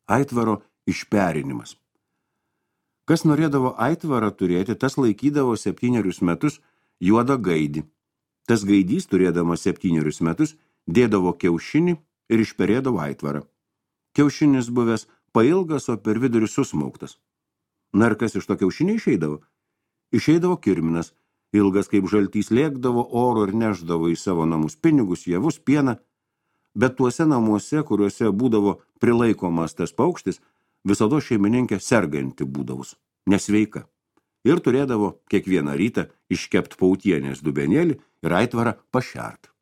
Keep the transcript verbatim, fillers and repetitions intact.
aitvaro išperinimas. Kas norėdavo aitvarą turėti, tas laikydavo septynerius metus juodą gaidį. Tas gaidys, turėdamas septynerius metus, dėdavo kiaušinį ir išperėdavo aitvarą. Kiaušinis buvęs pailgas, o per vidurį susmauktas. Na ir kas iš to kiaušinio išeidavo? Išeidavo kirminas, ilgas kaip žaltys, lėkdavo oro ir neždavo į savo namus pinigus, javus, pieną, bet tuose namuose, kuriuose būdavo prilaikomas tas paukštis, visada šeimininkė serganti būdavus, nesveika. Ir turėdavo kiekvieną rytą iškept pautienės dubenėlį ir aitvarą pašert.